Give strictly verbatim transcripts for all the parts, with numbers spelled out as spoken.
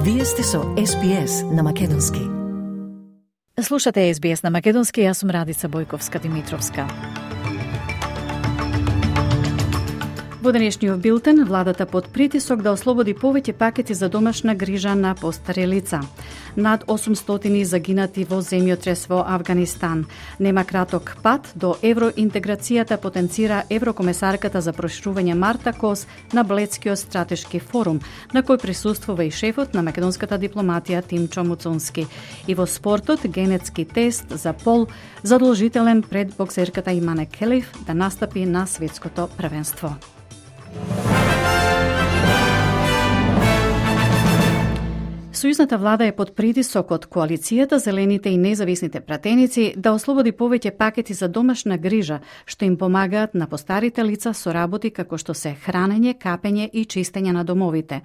Вие сте со Ес Би Ес на Македонски. Слушате Ес Би Ес на Македонски, јас сум Радица Бојковска-Димитровска. Во денешниот билтен, владата под притисок да ослободи повеќе пакети за домашна грижа на постари лица. Над осумстотини загинати во земјотрес во Авганистан. Нема краток пат до евроинтеграцијата, потенцира еврокомесарката за проширување Марта Кос на Бледскиот стратешки форум, на кој присуствува и шефот на македонската дипломатија Тимчо Муцунски. И во спортот, генетски тест за пол задолжителен пред боксерката Имане Келиф да настапи на светското првенство. Сојузната влада е под притисок од коалицијата, зелените и независните пратеници да ослободи повеќе пакети за домашна грижа, што им помагаат на постарите лица со работи како што се хранење, капење и чистење на домовите.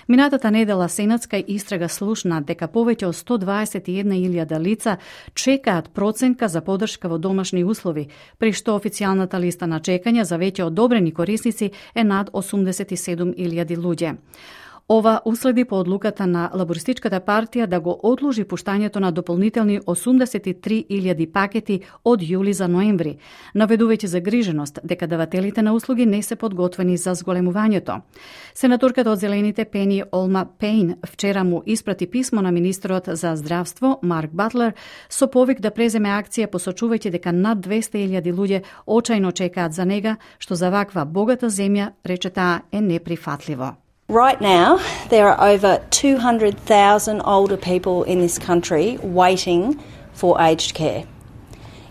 Минатата недела сенатска истрага слушна дека повеќе од сто дваесет и една илјада лица чекаат проценка за подршка во домашни услови, при што официјалната листа на чекање за веќе одобрени корисници е над осумдесет и седум илјади луѓе. Ова уследи по одлуката на Лабористичката партија да го одложи пуштањето на дополнителни осумдесет и три илјади пакети од јули за ноември, наведувајќи загриженост дека давателите на услуги не се подготвени за зголемувањето. Сенаторката од Зелените Пени Олма Пейн вчера му испрати писмо на министрот за здравство Марк Батлер со повик да преземе акција, посочувајќи дека над двесте илјади луѓе очајно чекаат за нега, што за ваква богата земја, рече таа, е неприфатливо. Right now, there are over two hundred thousand older people in this country waiting for aged care.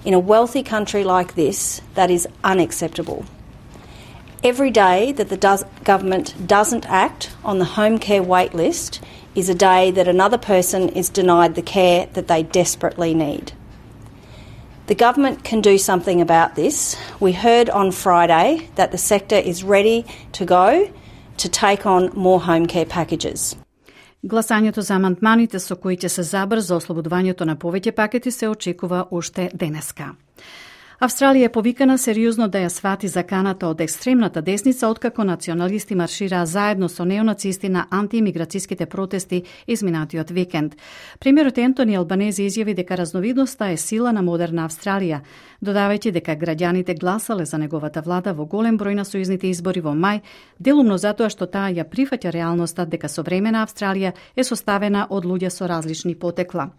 In a wealthy country like this, that is unacceptable. Every day that the does, government doesn't act on the home care wait list is a day that another person is denied the care that they desperately need. The government can do something about this. We heard on Friday that the sector is ready to go to take on more home care packages. Гласањето за амандманите со кои ќе се забрза ослободувањето на повеќе пакети се очекува уште денеска. Австралија е повикана сериозно да ја свати заканата од екстремната десница, откако националисти маршираа заедно со неонацисти на антиимиграцијските протести изминатиот викенд. Премиерот Ентони Албанези изјави дека разновидноста е сила на модерна Австралија, додавајќи дека граѓаните гласале за неговата влада во голем број на сојузните избори во мај, делумно затоа што таа ја прифаќа реалноста дека современа Австралија е составена од луѓе со различни потекла.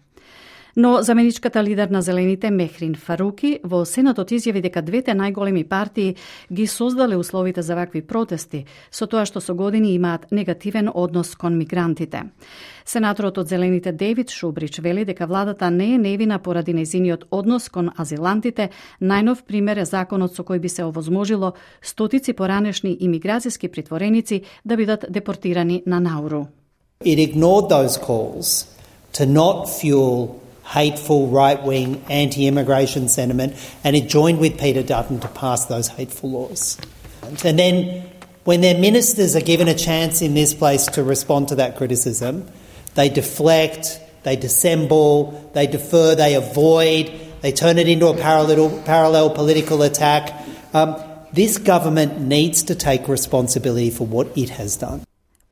Но заменичката лидер на Зелените Мехрин Фаруки во Сенатот изјави дека двете најголеми партии ги создале условите за вакви протести, со тоа што со години имаат негативен однос кон мигрантите. Сенаторот од Зелените Дейвид Шубрич вели дека владата не е невина поради нејзиниот однос кон азилантите. Најнов пример е законот со кој би се овозможило стотици поранешни имиграцијски притвореници да бидат депортирани на Науру. It ignored those calls to not fuel hateful right-wing anti-immigration sentiment, and it joined with Peter Dutton to pass those hateful laws. And then when their ministers are given a chance in this place to respond to that criticism, they deflect, they dissemble, they defer, they avoid, they turn it into a parallel, parallel political attack. Um, this government needs to take responsibility for what it has done.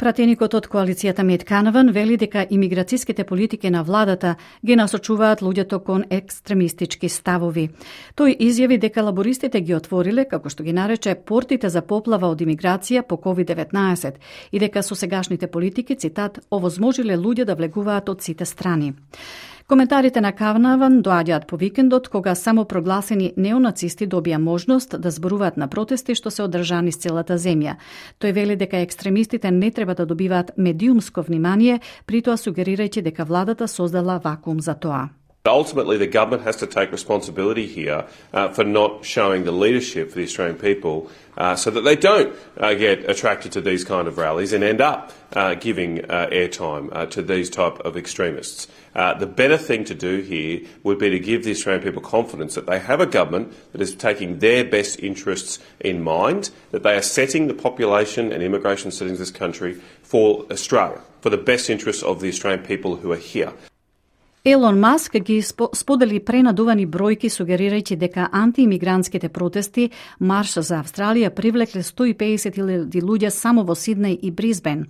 Пратеникот од коалицијата Мет Канаван вели дека имиграцијските политики на владата ги насочуваат луѓето кон екстремистички ставови. Тој изјави дека лабористите ги отвориле, како што ги нарече, портите за поплава од имиграција по ковид деветнаесет и дека со сегашните политики, цитат, овозможиле луѓе да влегуваат од сите страни. Коментарите на Канаван доаѓаат по викендот, кога само прогласени неонацисти добија можност да зборуваат на протести што се одржани с целата земја. Тој вели дека екстремистите не треба да добиваат медиумско внимание, притоа сугерирајќи дека владата создала вакуум за тоа. Ultimately, the government has to take responsibility here uh, for not showing the leadership for the Australian people uh, so that they don't uh, get attracted to these kind of rallies and end up uh, giving uh, airtime uh, to these type of extremists. Uh, the better thing to do here would be to give the Australian people confidence that they have a government that is taking their best interests in mind, that they are setting the population and immigration settings of this country for Australia, for the best interests of the Australian people who are here. Елон Маск ги сподели пренадувани бројки, сугерирајќи дека антиимигрантските протести Марш за Австралија привлекле сто и педесет илјади луѓе само во Сиднеј и Брисбен.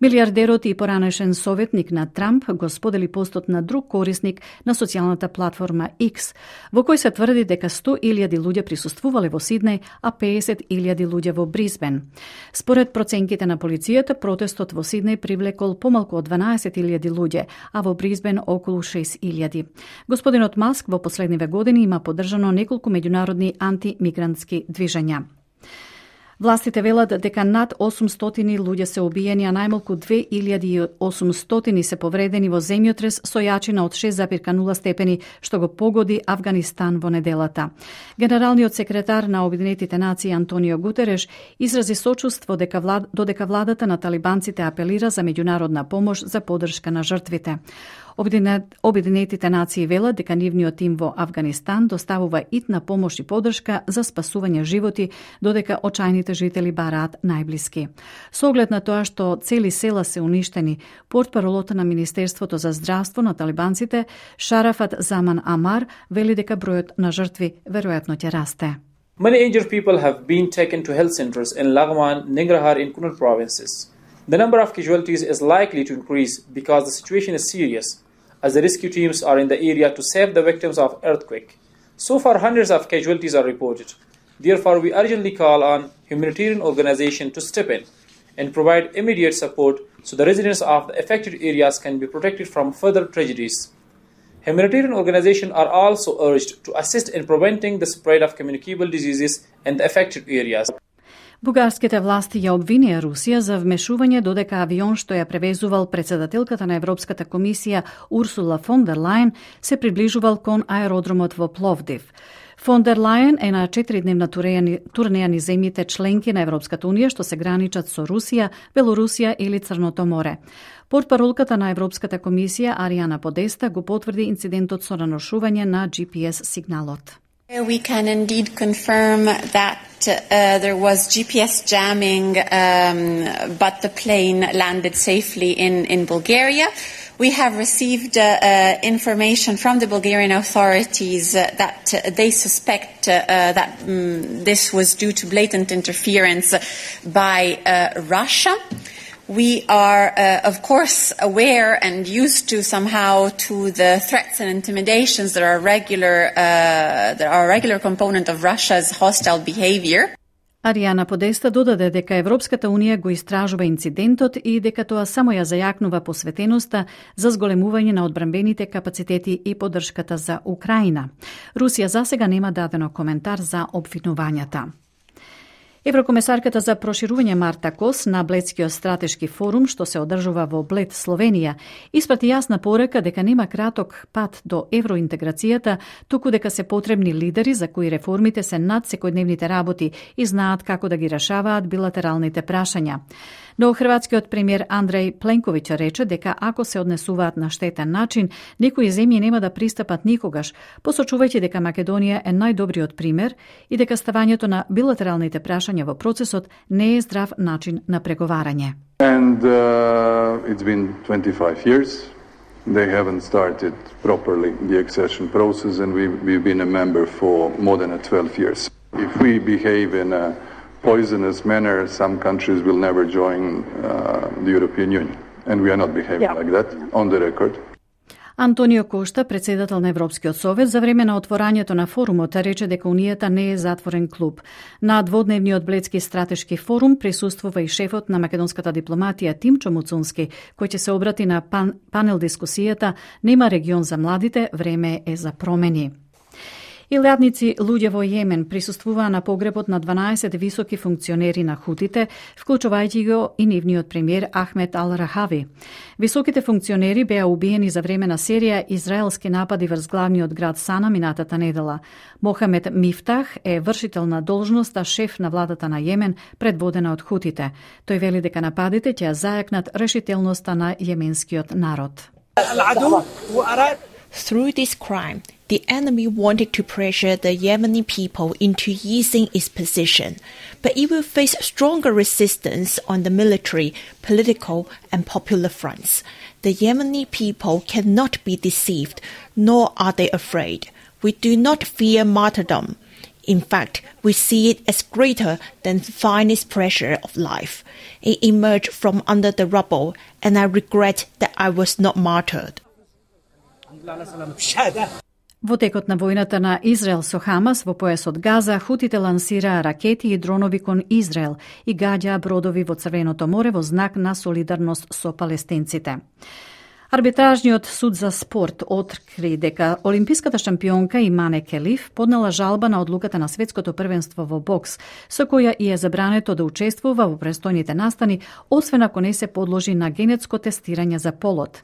Милиардерот и поранешен советник на Трамп го сподели постот на друг корисник на социјалната платформа X, во кој се тврди дека сто илјади луѓе присуствувале во Сиднеј, а песет илјади луѓе во Брисбен. Според проценките на полицијата, протестот во Сиднеј привлекол помалку од дванаесет илјади луѓе, а во Брисбен околу шест илјади. Господинот Маск во последниве години има поддржано неколку меѓународни антимигрантски движења. Властите велат дека над осумстотини луѓе се убиени, а најмалку две илјади и осумстотини се повредени во земјотрес со јачина од шест зарез нула степени, што го погоди Авганистан во неделата. Генералниот секретар на Обединетите нации Антонио Гутереш изрази сочувство дека влад, додека владата на талибанците апелира за меѓународна помош за поддршка на жртвите. Обединетите нации велат дека нивниот тим во Авганистан доставува итна помош и поддршка за спасување животи, додека очајните жители бараат најблиски. Со оглед на тоа што цели села се уништени, портпаролот на Министерството за здравство на талибанците Шарафат Заман Амар вели дека бројот на жртви веројатно ќе расте. Many injured people have been taken to health centers in Laghman, Nangarhar and Kunar provinces. The number of casualties is likely to increase because the situation is serious, as the rescue teams are in the area to save the victims of earthquake. So far, hundreds of casualties are reported. Therefore, we urgently call on humanitarian organizations to step in and provide immediate support so the residents of the affected areas can be protected from further tragedies. Humanitarian organizations are also urged to assist in preventing the spread of communicable diseases in the affected areas. Бугарските власти ја обвинија Русија за вмешување додека авион што ја превезувал председателката на Европската комисија Урсула фон дер Лајен се приближувал кон аеродромот во Пловдив. Фон дер Лајен е на четиридневна турнеја низ земјите членки на Европската унија што се граничат со Русија, Белорусија или Црното море. Портпаролката на Европската комисија Ариана Подеста го потврди инцидентот со наношување на Джи Пи Ес сигналот. We can indeed confirm that uh, there was G P S jamming, um, but the plane landed safely in, in Bulgaria. We have received uh, uh, information from the Bulgarian authorities uh, that uh, they suspect uh, that um, this was due to blatant interference by uh, Russia. We are, uh, of course, aware and used to somehow to the threats and intimidations that are regular, uh, that are a regular component of Russia's hostile behavior. Ариана Подеста додаде дека Европската унија го истражува инцидентот и дека тоа само ја зајакнува посветеноста за зголемување на одбранбените капацитети и поддршката за Украина. Русија засега нема дадено коментар за обвинувањата. Еврокомесарката за проширување Марта Кос на Бледскиот стратешки форум, што се одржува во Блед, Словенија, испрати јасна порека дека нема краток пат до евроинтеграцијата, туку дека се потребни лидери за кои реформите се над секојдневните работи и знаат како да ги решаваат билатералните прашања. Но хрватскиот премиер Андреј Пленковиќ рече дека ако се однесуваат на штетен начин, некои земји нема да пристапат никогаш, посочувајќи дека Македонија е најдобриот пример и дека ставањето на билатералните прашања во процесот не е здрав начин на преговарање. And uh, it's been twenty-five years. They haven't started properly the accession process, and we've, we've been a member for more than twelve years. If we behave in a poisonous manner, some countries will never join uh, the European Union. And we are not behaving yeah. like that, on the record. Антонио Кошта, председател на Европскиот совет, за време на отворањето на форумот рече дека Унијата не е затворен клуб. На дводневниот Бледски стратешки форум присуствува и шефот на македонската дипломатија Тимчо Муцунски, кој ќе се обрати на пан, панел дискусијата "Нема регион за младите, време е за промени". Илјадници луѓе во Јемен присуствуваа на погребот на дванаесет високи функционери на хутите, вклучувајќи го и нивниот премиер Ахмед Ал-Рахави. Високите функционери беа убиени за време на серија израелски напади врз главниот град Сана минатата недела. Мохамед Мифтах е вршител на должноста шеф на владата на Јемен, предводена од хутите. Тој вели дека нападите ќе зајакнат решителноста на јеменскиот народ. Through this crime, the enemy wanted to pressure the Yemeni people into easing its position, but it will face stronger resistance on the military, political, and popular fronts. The Yemeni people cannot be deceived, nor are they afraid. We do not fear martyrdom. In fact, we see it as greater than the finest pressure of life. It emerged from under the rubble, and I regret that I was not martyred. Во текот на војната на Израел со Хамас во појасот Газа, хутите лансираа ракети и дронови кон Израел и гаѓаа бродови во Црвеното море во знак на солидарност со палестинците. Арбитражниот суд за спорт откри дека олимписката шампионка Имане Келиф поднела жалба на одлуката на светското првенство во бокс, со која и е забрането да учествува во престојните настани, освен ако не се подложи на генетско тестирање за полот.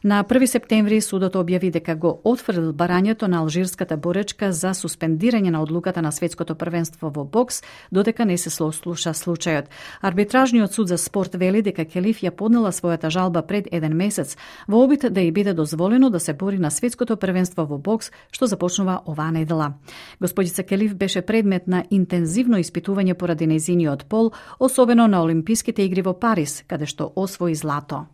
На први септември судот објави дека го отфрлил барањето на алжирската боречка за суспендирање на одлуката на светското првенство во бокс, додека не се слуша случајот. Арбитражниот суд за спорт вели дека Келиф ја поднела својата жалба пред еден месец, во обид да ја биде дозволено да се бори на светското првенство во бокс, што започнува оваа недела. Господица Келиф беше предмет на интензивно испитување поради нејзиниот пол, особено на Олимписките игри во Париз, каде што освои злато.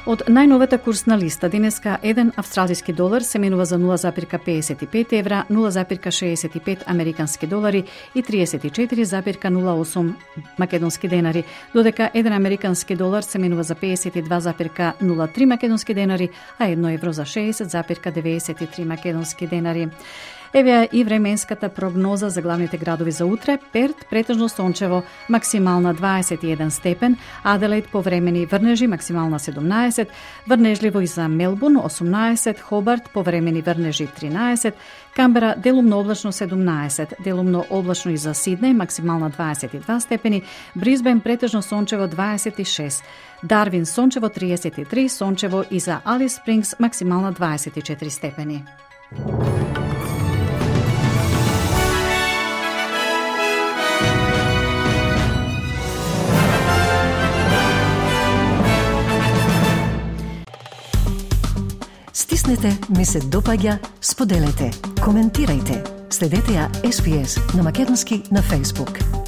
Од најновата курсна листа денеска еден австралиски долар се менува за нула запирка педесет и пет евра, нула запирка шеесет и пет американски долари и триесет и четири запирка нула осум македонски денари, додека еден американски долар се менува за педесет и два запирка нула три македонски денари, а едно евро за шеесет запирка деветдесет и три македонски денари. Еве и временската прогноза за главните градови за утре. Перт претежно сончево, максимална дваесет и еден степен, Аделаид повремени врнежи, максимална седумнаесет, врнежливо и за Мелбурн осумнаесет, Хобарт повремени врнежи тринаесет, Камбера делумно облачно седумнаесет, делумно облачно и за Сиднеј, максимална дваесет и два степени, Брисбен претежно сончево дваесет и шест, Дарвин сончево триесет и три, сончево и за Алис Спрингс, максимална дваесет и четири степени. Стиснете, ми се допаѓа, споделете, коментирајте. Следете ја Ес Би Ес на македонски на Facebook.